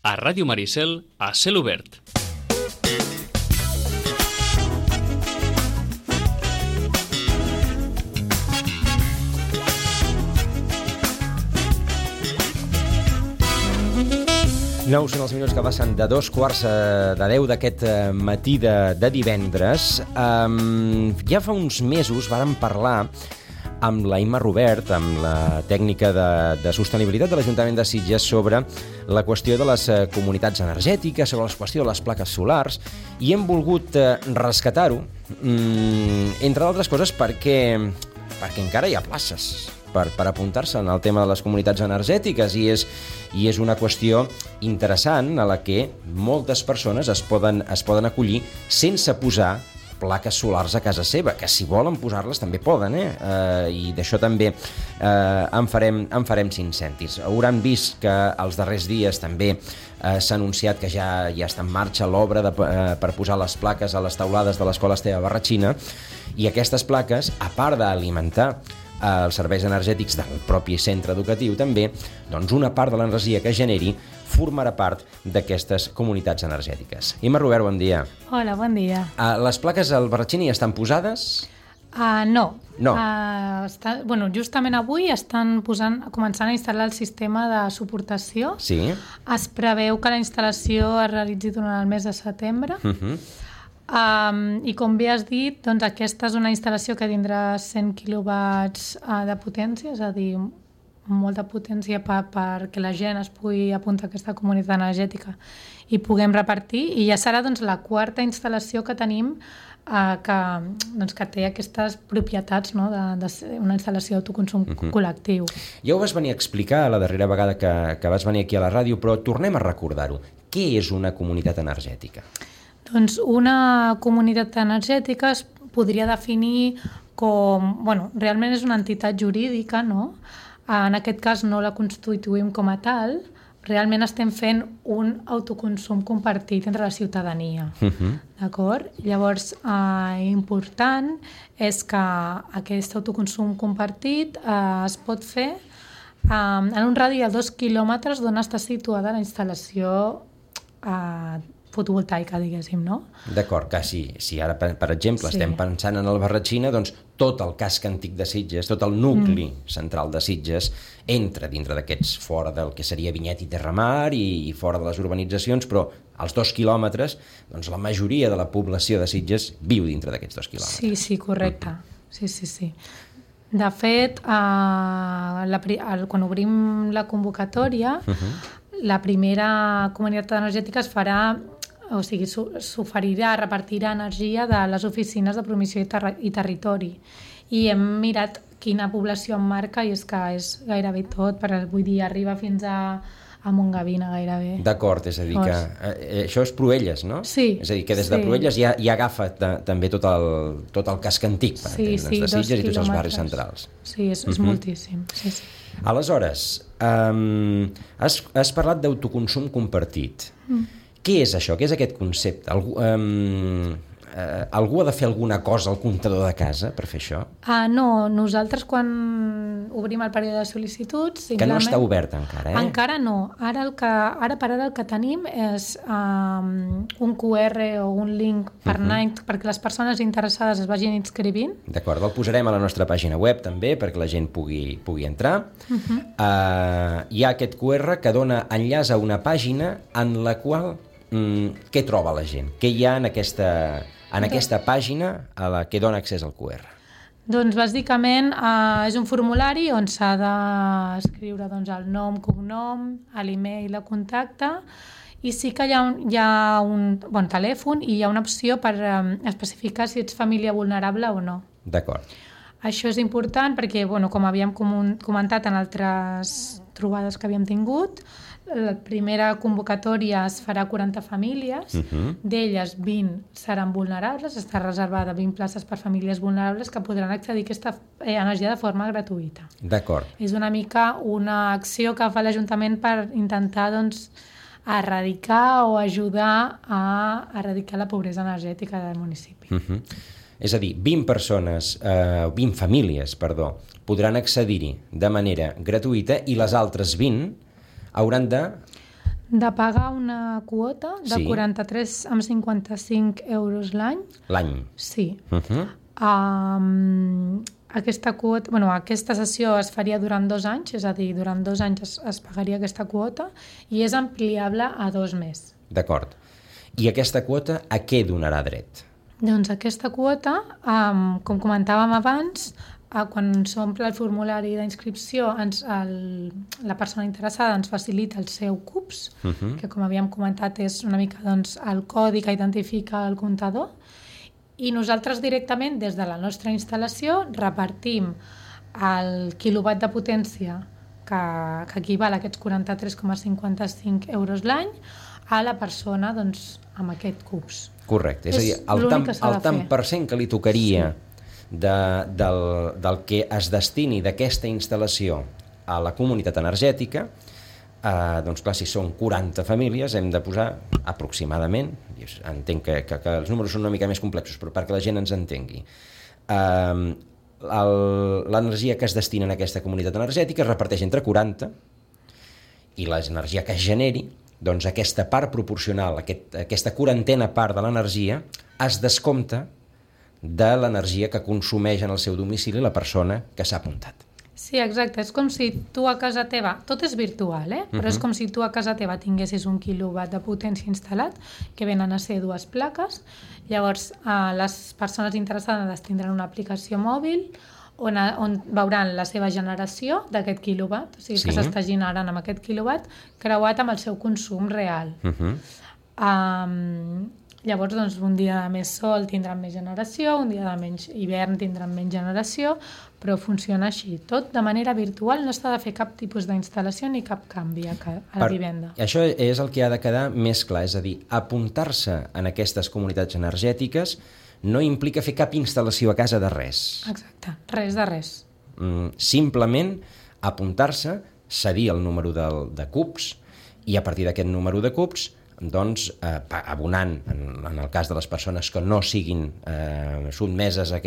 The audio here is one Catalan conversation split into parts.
A Ràdio Maricel, a cel obert. Nou són els minuts que passen de 9:15 d'aquest matí de divendres. Ja fa uns mesos vàrem parlar amb la Imma Robert, amb la tècnica de sostenibilitat de l'Ajuntament de Sitges, sobre la qüestió de les comunitats energètiques, sobre la qüestió de les plaques solars, i hem volgut rescatar-ho, entre d'altres coses perquè encara hi ha places per apuntar-se en el tema de les comunitats energètiques, i és una qüestió interessant a la que moltes persones es poden acollir sense posar plaques solars a casa seva, que si volen posar-les també poden, i d'això també en farem 5 cèntims. Hauran vist que els darrers dies també s'ha anunciat que ja està en marxa l'obra per posar les plaques a les teulades de l'Escola Esteve Barratxina, i aquestes plaques, a part d'alimentar els serveis energètics del propi centre educatiu, també, doncs una part de l'energia que generi formarà part d'aquestes comunitats energètiques. Imma Robert, bon dia. Hola, bon dia. Les plaques al Barratxina ja estan posades? No. Justament avui estan començant a instal·lar el sistema de suportació. Sí. Es preveu que la instal·lació es realitzi durant el mes de setembre. I com bé has dit, doncs aquesta és una instal·lació que tindrà 100 quilowatts de potència, és a dir, molta potència perquè la gent es pugui apuntar a aquesta comunitat energètica i puguem repartir, i ja serà doncs la quarta instal·lació que tenim que té aquestes propietats, no, de ser una instal·lació d'autoconsum col·lectiu. Ja ho vas venir a explicar la darrera vegada que vas venir aquí a la ràdio, però tornem a recordar-ho. Què és una comunitat energètica? Doncs una comunitat energètica es podria definir com... realment és una entitat jurídica, no? En aquest cas no la constituïm com a tal, realment estem fent un autoconsum compartit entre la ciutadania. D'acord? Llavors, important és que aquest autoconsum compartit es pot fer en un radi de 2 quilòmetres d'on està situada la instal·lació fotovoltaica, diguéssim, no? D'acord, que si ara, per exemple, estem pensant en el Barratxina, doncs tot el casc antic de Sitges, tot el nucli central de Sitges, entra dintre d'aquests, fora del que seria Vinyet i Terramar i fora de les urbanitzacions, però als 2 quilòmetres, doncs la majoria de la població de Sitges viu dintre d'aquests 2 quilòmetres. Sí, correcte. Sí. De fet, quan obrim la convocatòria, la primera comunitat energètica es farà, o sigui, s'oferirà, repartirà energia de les oficines de promoció i territori. I hem mirat quina població en marca, i és que és gairebé tot, vull dir, arriba fins a Montgavina gairebé. D'acord, és a dir, que això és Proelles, no? Sí. És a dir, que des de Proelles ja agafa també tot el casc antic, per entendre'ns, de Sitges i tots els barris centrals. Sí, és moltíssim. Sí. Aleshores, has parlat d'autoconsum compartit. Què és això? Què és aquest concepte? Algú ha de fer alguna cosa al comptador de casa per fer això? No, nosaltres quan obrim el període de sol·licituds... Que no està obert encara, Encara no. Ara per ara el que tenim és un QR o un link per anar, perquè les persones interessades es vagin inscrivint. D'acord, el posarem a la nostra pàgina web també, perquè la gent pugui entrar. Hi ha aquest QR que dona enllaç a una pàgina en la qual... què troba la gent? Què hi ha en aquesta pàgina a la que dona accés al QR? Doncs bàsicament és un formulari on s'ha d'escriure el nom, cognom, l'email, la contacte, i sí que hi ha un bon telèfon i hi ha una opció per especificar si ets família vulnerable o no. D'acord. Això és important perquè, com havíem comentat en altres trobades que havíem tingut, la primera convocatòria es farà a 40 famílies, d'elles 20 seran vulnerables, està reservada 20 places per famílies vulnerables que podran accedir a aquesta energia de forma gratuïta. D'acord. És una mica una acció que fa l'Ajuntament per intentar erradicar o ajudar a erradicar la pobresa energètica del municipi. És a dir, 20 famílies, podran accedir-hi de manera gratuïta, i les altres 20 hauran de De pagar una quota de 43,55 euros l'any. L'any? Sí. Aquesta sessió es faria durant 2 anys, és a dir, durant 2 anys es pagaria aquesta quota i és ampliable a 2 més. D'acord. I aquesta quota a què donarà dret? Doncs aquesta quota, com comentàvem abans, quan s'omple el formulari d'inscripció, la persona interessada ens facilita el seu CUPS, que com havíem comentat és una mica el codi que identifica el comptador, i nosaltres directament des de la nostra instal·lació repartim el quilowatt de potència que equival a aquests 43,55 euros l'any a la persona amb aquest CUPS. Correcte, és a dir, el tant per cent que li tocaria del que es destini d'aquesta instal·lació a la comunitat energètica, doncs clar, si són 40 famílies hem de posar aproximadament, entenc que els números són una mica més complexos, però perquè la gent ens entengui, l'energia que es destina a aquesta comunitat energètica es reparteix entre 40 i l'energia que es generi, doncs aquesta part proporcional, aquesta quarantena part de l'energia es descompta de l'energia que consumeix en el seu domicili la persona que s'ha apuntat. Sí, exacte. És com si tu a casa teva, tot és virtual, però és com si tu a casa teva tinguessis 1 quilowatt de potència instal·lat, que venen a ser 2 plaques. Llavors, les persones interessades tindran una aplicació mòbil on veuran la seva generació d'aquest quilowatt, o sigui que s'està generant amb aquest quilowatt creuat amb el seu consum real. Llavors, un dia de més sol tindran més generació, un dia de menys hivern tindran menys generació, però funciona així. Tot de manera virtual, no s'ha de fer cap tipus d'instal·lació ni cap canvi a la vivenda. Això és el que ha de quedar més clar, és a dir, apuntar-se en aquestes comunitats energètiques no implica fer cap instal·lació a casa de res. Exacte, res de res. Simplement apuntar-se, cedir el número de CUPS i a partir d'aquest número de CUPS doncs abonant, en el cas de les persones que no siguin sotmeses a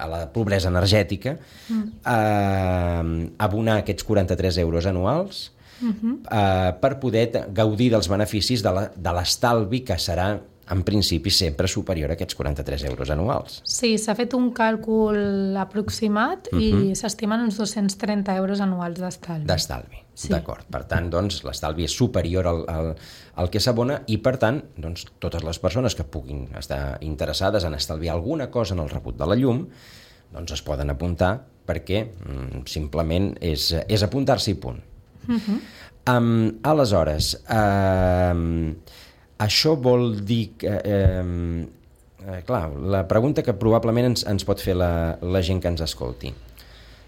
la pobresa energètica, abonar aquests 43 euros anuals per poder gaudir dels beneficis de l'estalvi que serà en principi sempre superior a aquests 43 euros anuals. Sí, s'ha fet un càlcul aproximat i s'estimen uns 230 euros anuals d'estalvi. D'estalvi, d'acord. Per tant, doncs, l'estalvi és superior al que s'abona i, per tant, doncs, totes les persones que puguin estar interessades en estalviar alguna cosa en el rebut de la llum, doncs es poden apuntar perquè simplement és apuntar-s'hi i punt. Aleshores, això vol dir que... clar, la pregunta que probablement ens pot fer la gent que ens escolti.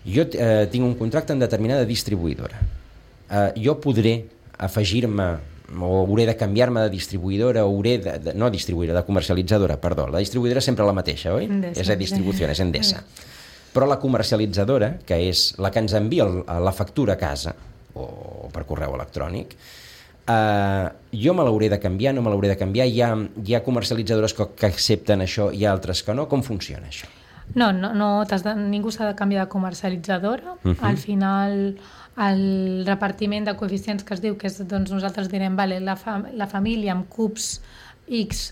Jo tinc un contracte amb determinada distribuïdora. Jo podré afegir-me o hauré de canviar-me de distribuïdora o no distribuïdora, de comercialitzadora, perdó. La distribuïdora és sempre la mateixa, oi? És a distribució, és Endesa. Però la comercialitzadora, que és la que ens envia la factura a casa o per correu electrònic, jo me l'hauré de canviar, no me l'hauré de canviar, hi ha comercialitzadores que accepten això i altres que no. Com funciona això? No, ningú s'ha de canviar de comercialitzadora. Al final el repartiment de coeficients que es diu, que és, doncs nosaltres direm, vale, la família amb CUPS X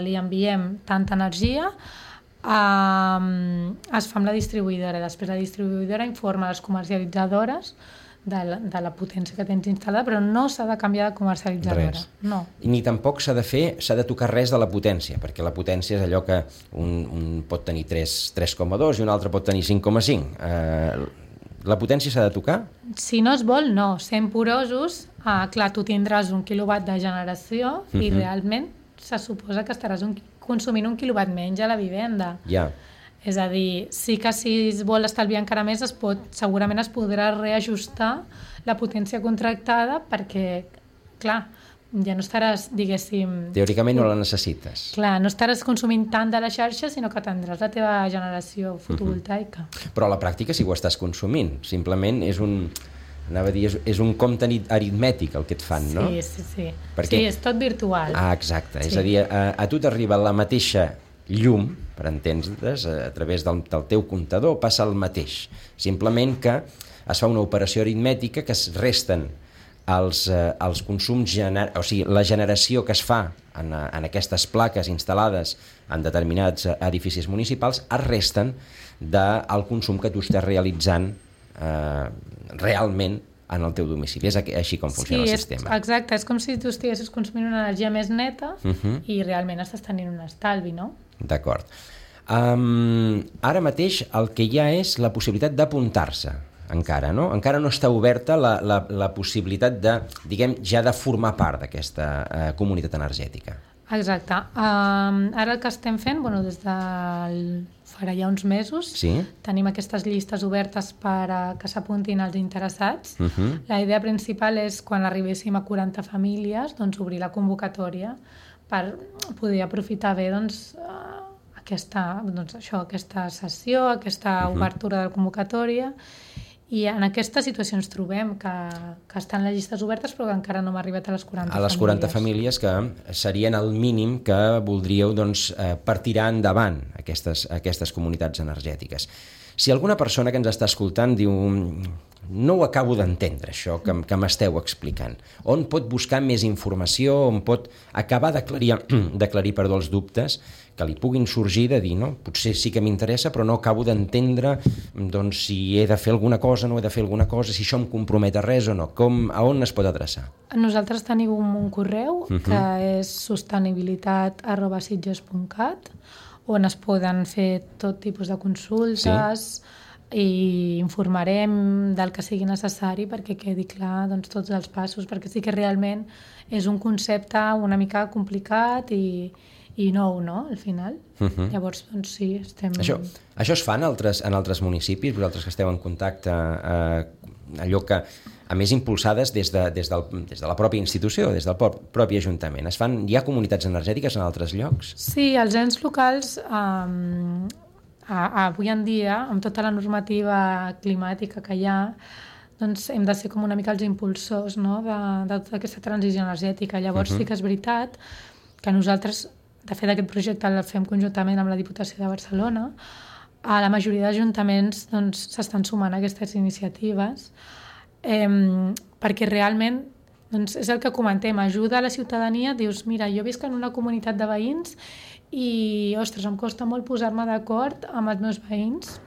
li enviem tanta energia, es fa amb la distribuïdora. Després la distribuïdora informa les comercialitzadores de la potència que tens instal·lada, però no s'ha de canviar de comercialitzadora. No. Ni tampoc s'ha de tocar res de la potència, perquè la potència és allò que un pot tenir 3,2 i un altre pot tenir 5,5. La potència s'ha de tocar? Si no es vol, no. Sent porosos, clar, tu tindràs 1 quilowatt de generació i realment se suposa que estaràs consumint 1 quilowatt menys a la vivenda. Ja. És a dir, sí que si es vol estalviar encara més, segurament es podrà reajustar la potència contractada perquè, clar, ja no estaràs, diguéssim... Teòricament no la necessites. Clar, no estaràs consumint tant de la xarxa, sinó que tindràs la teva generació fotovoltaica. Però a la pràctica sí que ho estàs consumint. Simplement és un compte aritmètic el que et fan, no? Sí. Sí, és tot virtual. Exacte. És a dir, a tu t'arriba la mateixa llum, per entendre's, a través del teu comptador passa el mateix. Simplement que es fa una operació aritmètica que es resten els consums, o sigui, la generació que es fa en aquestes plaques instal·lades en determinats edificis municipals es resten del consum que tu estàs realitzant realment en el teu domicili. És així com funciona el sistema. Sí, exacte. És com si tu estiguessis consumint una energia més neta i realment estàs tenint un estalvi, no? D'acord. Ara mateix el que hi ha és la possibilitat d'apuntar-se, encara, no? Encara no està oberta la possibilitat de, diguem, ja de formar part d'aquesta comunitat energètica. Exacte. Ara el que estem fent, des del farà ja uns mesos, tenim aquestes llistes obertes per que s'apuntin els interessats. La idea principal és, quan arribéssim a 40 famílies, obrir la convocatòria per poder aprofitar bé aquesta sessió, aquesta obertura de la convocatòria. I en aquesta situació ens trobem, que estan les llistes obertes però que encara no hem arribat a les 40 famílies. A les 40 famílies que serien el mínim que voldríeu per tirar endavant aquestes comunitats energètiques. Si alguna persona que ens està escoltant diu no ho acabo d'entendre, això que m'esteu explicant, on pot buscar més informació, on pot acabar d'aclarir els dubtes que li puguin sorgir de dir, no, potser sí que m'interessa, però no acabo d'entendre si he de fer alguna cosa, no he de fer alguna cosa, si això em compromet a res o no. A on es pot adreçar? Nosaltres tenim un correu que és sostenibilitat@sitges.cat, on es poden fer tot tipus de consultes i informarem del que sigui necessari perquè quedi clar tots els passos, perquè sí que realment és un concepte una mica complicat i nou, no?, al final. Llavors, sí, estem... Això es fa en altres municipis, vosaltres que esteu en contacte, allò que, a més, impulsades des de la pròpia institució, des del propi Ajuntament. Hi ha comunitats energètiques en altres llocs? Sí, els ens locals, avui en dia, amb tota la normativa climàtica que hi ha, hem de ser com una mica els impulsors, no?, de tota aquesta transició energètica. Llavors sí que és veritat que nosaltres, de fet, aquest projecte el fem conjuntament amb la Diputació de Barcelona. A la majoria d'ajuntaments s'estan sumant a aquestes iniciatives perquè realment és el que comentem, ajuda a la ciutadania. Dius, mira, jo visc en una comunitat de veïns i, ostres, em costa molt posar-me d'acord amb els meus veïns.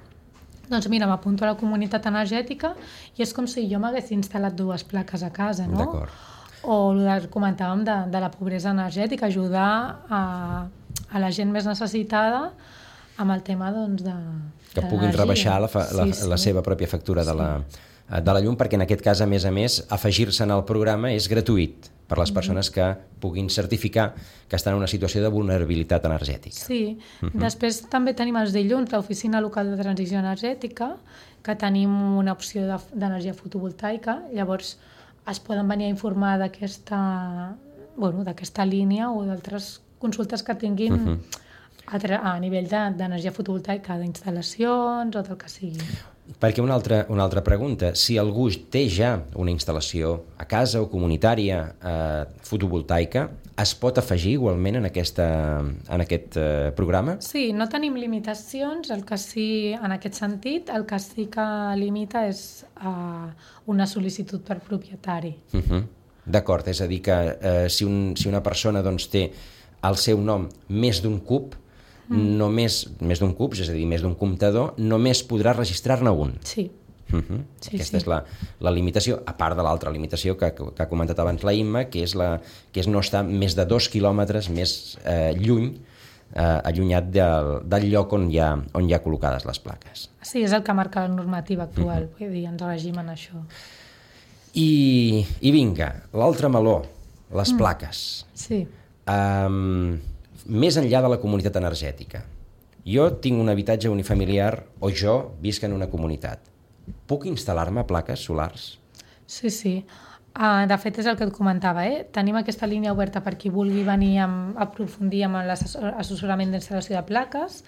Doncs mira, m'apunto a la comunitat energètica i és com si jo m'hagués instal·lat 2 plaques a casa, no? D'acord. O el que comentàvem de la pobresa energètica, ajudar a la gent més necessitada amb el tema de que puguin rebaixar la seva pròpia factura de la llum, perquè en aquest cas, a més, afegir-se en el programa és gratuït per a les persones que puguin certificar que estan en una situació de vulnerabilitat energètica. Sí. Després també tenim els dilluns l'Oficina Local de Transició Energètica, que tenim una opció d'energia fotovoltaica. Llavors es poden venir a informar d'aquesta línia o d'altres consultes que tinguin a nivell d'energia fotovoltaica, d'instal·lacions o del que sigui. Perquè una altra pregunta, si algú té ja una instal·lació a casa o comunitària fotovoltaica, es pot afegir igualment en aquest programa? Sí, no tenim limitacions, en aquest sentit, el que sí que limita és una sol·licitud per propietari. D'acord, és a dir que si una persona té al seu nom més d'un cub, només més d'un cub, és a dir, més d'un comptador, només podrà registrar-ne un. Sí. Aquesta és la limitació, a part de l'altra limitació que ha comentat abans la Imma, que és no estar més de 2 quilòmetres més lluny, allunyat del lloc on hi ha col·locades les plaques. Sí, és el que marca la normativa actual, vull dir, ens regim en això. I vinga, l'altre meló, les plaques. Sí. Més enllà de la comunitat energètica. Jo tinc un habitatge unifamiliar o jo visc en una comunitat. Puc instal·lar-me plaques solars? Sí. De fet, és el que et comentava. Tenim aquesta línia oberta per qui vulgui venir a aprofundir amb l'assessorament d'instal·lació de plaques,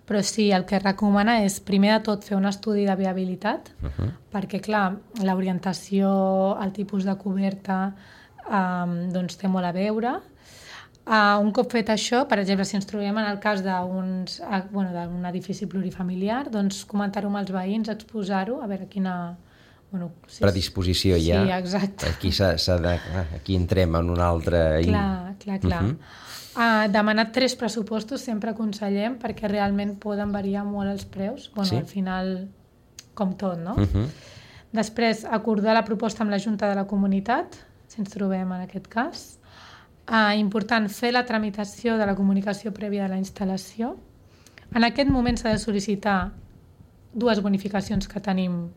però sí, el que recomana és, primer de tot, fer un estudi de viabilitat, perquè, clar, l'orientació, el tipus de coberta, té molt a veure. Un cop fet això, per exemple, si ens trobem en el cas d'un edifici plurifamiliar, doncs comentar-ho amb els veïns, exposar-ho, a veure predisposició ja. Sí, exacte. Aquí entrem en un altre... Clar. Demanar 3 pressupostos sempre aconsellem perquè realment poden variar molt els preus. Al final, com tot, no? Després, acordar la proposta amb la Junta de la Comunitat, si ens trobem en aquest cas. Important, fer la tramitació de la comunicació prèvia de la instal·lació. En aquest moment s'ha de sol·licitar 2 bonificacions que tenim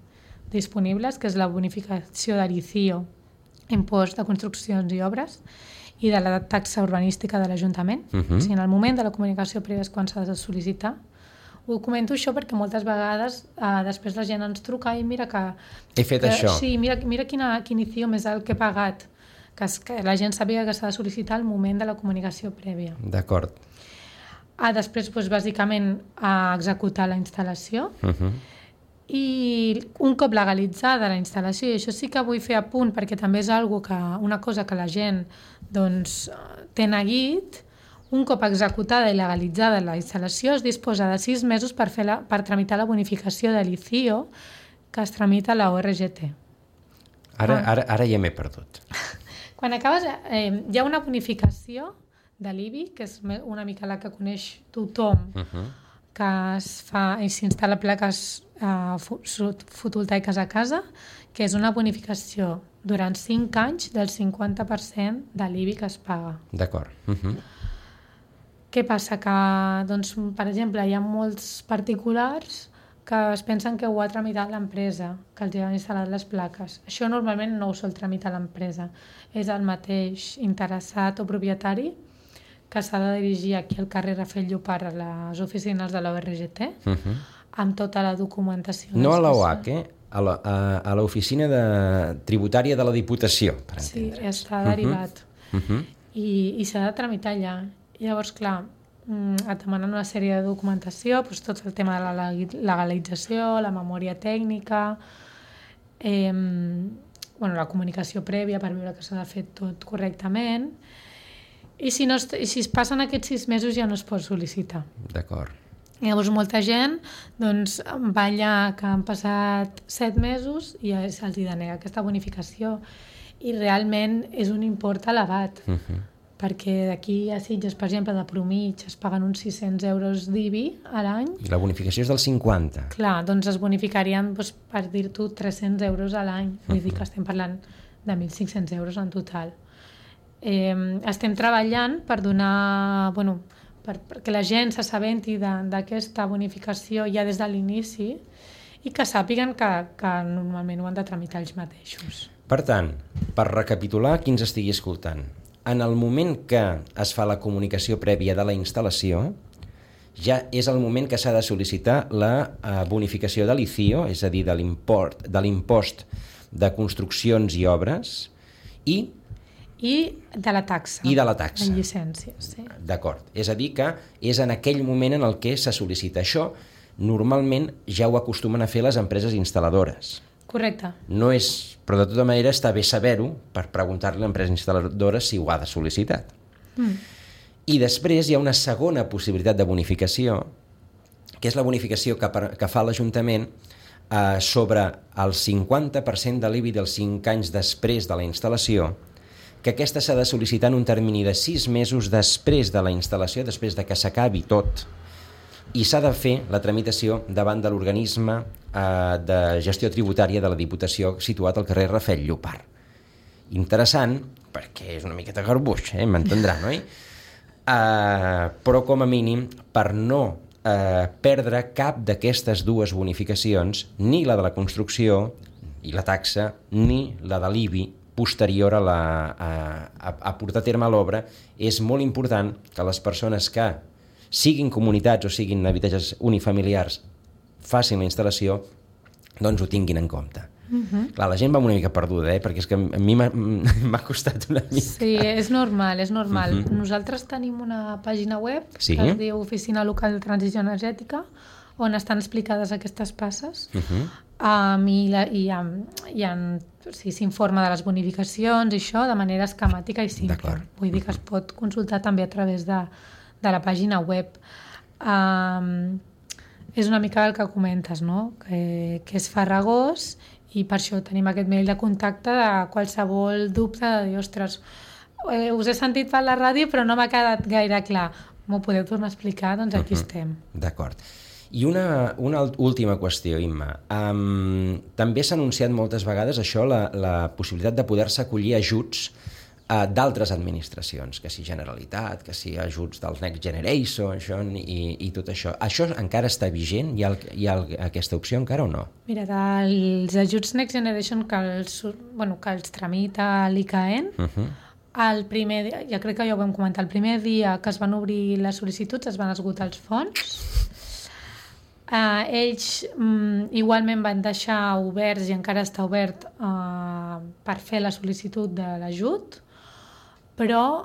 disponibles, que és la bonificació de l'ICIO, impost de construccions i obres, i de la taxa urbanística de l'Ajuntament. O sigui, en el moment de la comunicació prèvia és quan s'ha de sol·licitar. Ho comento això perquè moltes vegades després la gent ens truca i mira que... He fet això. Sí, mira quin ICIO més alt que he pagat. Que la gent sàpiga que s'ha de sol·licitar al moment de la comunicació prèvia. D'acord. Després, bàsicament, executar la instal·lació. I un cop legalitzada la instal·lació, i això sí que vull fer a punt perquè també és una cosa que la gent té neguit, un cop executada i legalitzada la instal·lació es disposa de 6 mesos per tramitar la bonificació de l'ICIO que es tramita a la ORGT. Ara ja m'he perdut. Quan acabes, hi ha una bonificació de l'IBI, que és una mica la que coneix tothom, que es fa i s'instal·la plaques fotovoltaiques a casa, que és una bonificació durant 5 anys del 50% de l'IBI que es paga. D'acord. Què passa? Que, per exemple, hi ha molts particulars que es pensen que ho ha tramitat l'empresa, que els han instal·lat les plaques. Això normalment no ho sol tramitar l'empresa. És el mateix interessat o propietari que s'ha de dirigir aquí al carrer Rafel Llopart a les oficines de la ORGT amb tota la documentació. No a l'OAC, a l'oficina tributària de la Diputació, per entendre. Sí, està derivat. I s'ha de tramitar allà. I llavors, clar, et demanen una sèrie de documentació, tot el tema de la legalització, la memòria tècnica, la comunicació prèvia per veure que s'ha de fer tot correctament. I si es passen aquests 6 mesos ja no es pot sol·licitar. D'acord. Llavors molta gent va allà que han passat 7 mesos i ja se'ls denega aquesta bonificació. I realment és un import elevat, perquè d'aquí a Sitges, per exemple, de promig es paguen uns 600 euros d'IBI a l'any. I la bonificació és del 50. Clar, doncs es bonificarien, per dir-t'ho, 300 euros a l'any. Vull dir que estem parlant de 1.500 euros en total. Estem treballant per donar, perquè la gent s'assabenti d'aquesta bonificació ja des de l'inici i que sàpiguen que normalment ho han de tramitar ells mateixos. Per tant, per recapitular qui ens estigui escoltant, en el moment que es fa la comunicació prèvia de la instal·lació, ja és el moment que s'ha de sol·licitar la bonificació de l'ICIO, és a dir, de l'impost de construccions i obres, i de la taxa. I de la taxa. En llicències, sí. D'acord. És a dir, que és en aquell moment en el que se sol·licita això. Normalment ja ho acostumen a fer les empreses instal·ladores. Correcte. No és, però de tota manera està bé saber-ho per preguntar-li a l'empresa instal·ladora si ho ha de sol·licitar. I després hi ha una segona possibilitat de bonificació, que és la bonificació que fa l'Ajuntament sobre el 50% de l'IBI dels 5 anys després de la instal·lació, que aquesta s'ha de sol·licitar en un termini de 6 mesos després de la instal·lació, després de que s'acabi tot, i s'ha de fer la tramitació davant de l'organisme de gestió tributària de la Diputació situat al carrer Rafel Llopart. Interessant, perquè és una miqueta garbuix, m'entendran, oi? Però com a mínim, per no perdre cap d'aquestes 2 bonificacions, ni la de la construcció i la taxa, ni la de l'IBI, posterior a portar a terme l'obra, és molt important que les persones que siguin comunitats o siguin habitatges unifamiliars facin la instal·lació, doncs ho tinguin en compte. Clar, la gent va una mica perduda, perquè és que a mi m'ha costat una mica. Sí, és normal, és normal. Nosaltres tenim una pàgina web que es diu Oficina Local de Transició Energètica, on estan explicades aquestes passes, i s'informa de les bonificacions i això de manera esquemàtica i simple. Vull dir que es pot consultar també a través de la pàgina web. És una mica el que comentes, no? Que és farragós I per això tenim aquest mail de contacte de qualsevol dubte de dir, ostres, us he sentit per la ràdio però no m'ha quedat gaire clar. M'ho podeu tornar a explicar? Doncs aquí estem. D'acord. I una última qüestió, Imma. També s'ha anunciat moltes vegades això, la possibilitat de poder-se acollir ajuts d'altres administracions, que si Generalitat, que si ajuts dels Next Generation i tot això. Això encara està vigent? Hi ha aquesta opció encara o no? Mira, dels ajuts Next Generation que els tramita l'ICAEN, el primer dia, ja crec que ja ho vam comentar, el primer dia que es van obrir les sol·licituds es van esgotar els fons. Ells igualment van deixar oberts, i encara està obert, per fer la sol·licitud de l'ajut, però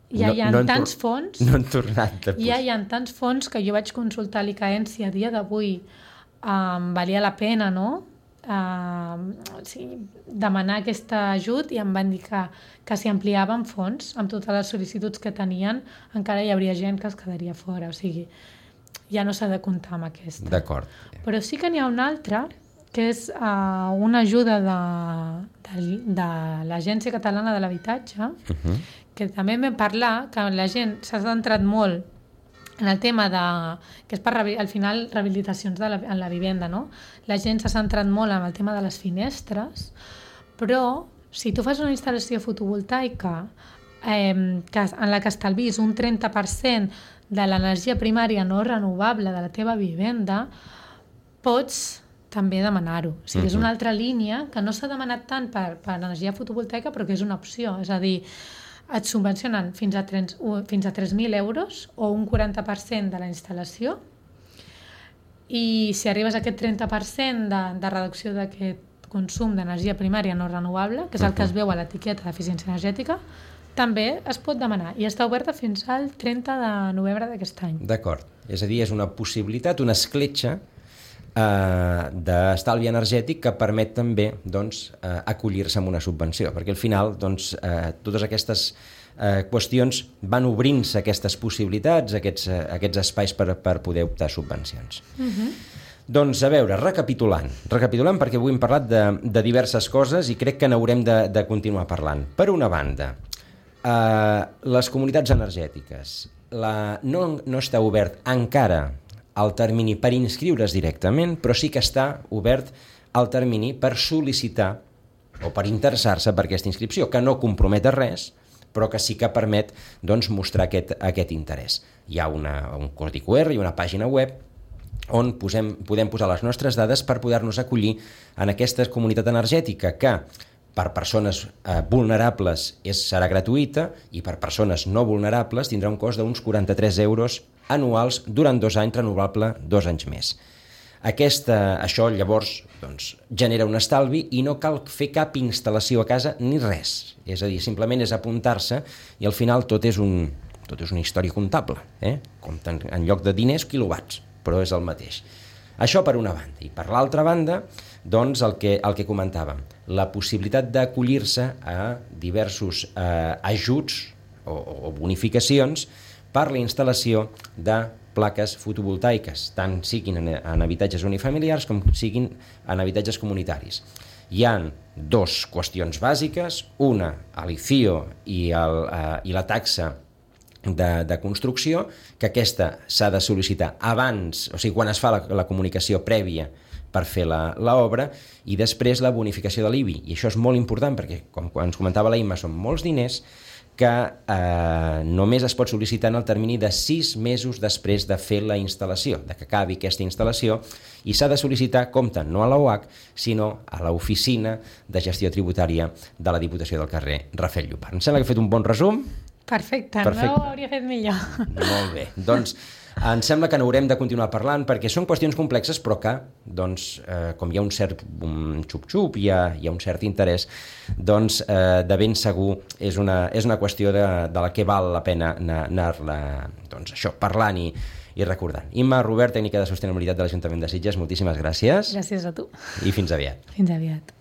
ja hi ha tants fons, no han tornat ja hi ha tants fons que jo vaig consultar a l'ICAEN si a dia d'avui valia la pena, no? Demanar aquest ajut, i em van dir que si ampliaven fons amb totes les sol·licituds que tenien encara hi hauria gent que es quedaria fora, o sigui, ja no s'ha de comptar amb aquesta. D'acord. Però sí que n'hi ha una altra, que és una ajuda de l'Agència Catalana de l'Habitatge, que també vam parlar que la gent s'ha centrat molt en el tema que és per, al final, rehabilitacions en la vivenda, no? La gent s'ha centrat molt en el tema de les finestres, però si tu fas una instal·lació fotovoltaica en la que estalvis un 30% de l'energia primària no renovable de la teva vivenda, pots també demanar-ho. O sigui, és una altra línia que no s'ha demanat tant per energia fotovoltaica, però que és una opció. És a dir, et subvencionen fins a 3.000 euros o un 40% de la instal·lació, i si arribes a aquest 30% de reducció d'aquest consum d'energia primària no renovable, que és el que es veu a l'etiqueta d'eficiència energètica, també es pot demanar, i està oberta fins al 30 de novembre d'aquest any. D'acord. És a dir, és una possibilitat, una escletxa d'estalvi energètic que permet també acollir-se amb una subvenció, perquè al final totes aquestes qüestions van obrint-se aquestes possibilitats, aquests espais per poder optar subvencions. Doncs a veure, recapitulant perquè avui hem parlat de diverses coses i crec que n'haurem de continuar parlant. Per una banda, les comunitats energètiques. No està obert encara el termini per inscriure's directament, però sí que està obert el termini per sol·licitar o per interessar-se per aquesta inscripció, que no compromet a res, però que sí que permet mostrar aquest interès. Hi ha un codi QR i una pàgina web on podem posar les nostres dades per poder-nos acollir en aquesta comunitat energètica que per persones vulnerables serà gratuïta i per persones no vulnerables tindrà un cost d'uns 43 euros anuals durant 2 anys, renovable 2 anys més. Això llavors genera un estalvi i no cal fer cap instal·lació a casa ni res. És a dir, simplement és apuntar-se i al final tot és una història comptable. Compten en lloc de diners quilowatts, però és el mateix. Això per una banda. I per l'altra banda, el que comentàvem, la possibilitat d'acollir-se a diversos ajuts o bonificacions per la instal·lació de plaques fotovoltaiques, tant siguin en habitatges unifamiliars com siguin en habitatges comunitaris. Hi ha 2 qüestions bàsiques, una, l'IFIO i la taxa de construcció, que aquesta s'ha de sol·licitar abans, o sigui, quan es fa la comunicació prèvia per fer l'obra, i després la bonificació de l'IBI. I això és molt important perquè, com ens comentava la Imma, són molts diners que només es pot sol·licitar en el termini de 6 mesos després de fer la instal·lació, de que acabi aquesta instal·lació, i s'ha de sol·licitar, compte, no a l'OAC, sinó a l'Oficina de Gestió Tributària de la Diputació del carrer Rafael Llopart. Em sembla que he fet un bon resum. Perfecte. No ho hauria fet millor. Molt bé. Doncs em sembla que n'haurem de continuar parlant perquè són qüestions complexes però que, com hi ha un cert xup-xup, hi ha un cert interès, de ben segur és una qüestió de la que val la pena anar-la parlant i recordant. Imma Robert, tècnica de sostenibilitat de l'Ajuntament de Sitges, moltíssimes gràcies. Gràcies a tu. I fins aviat. Fins aviat.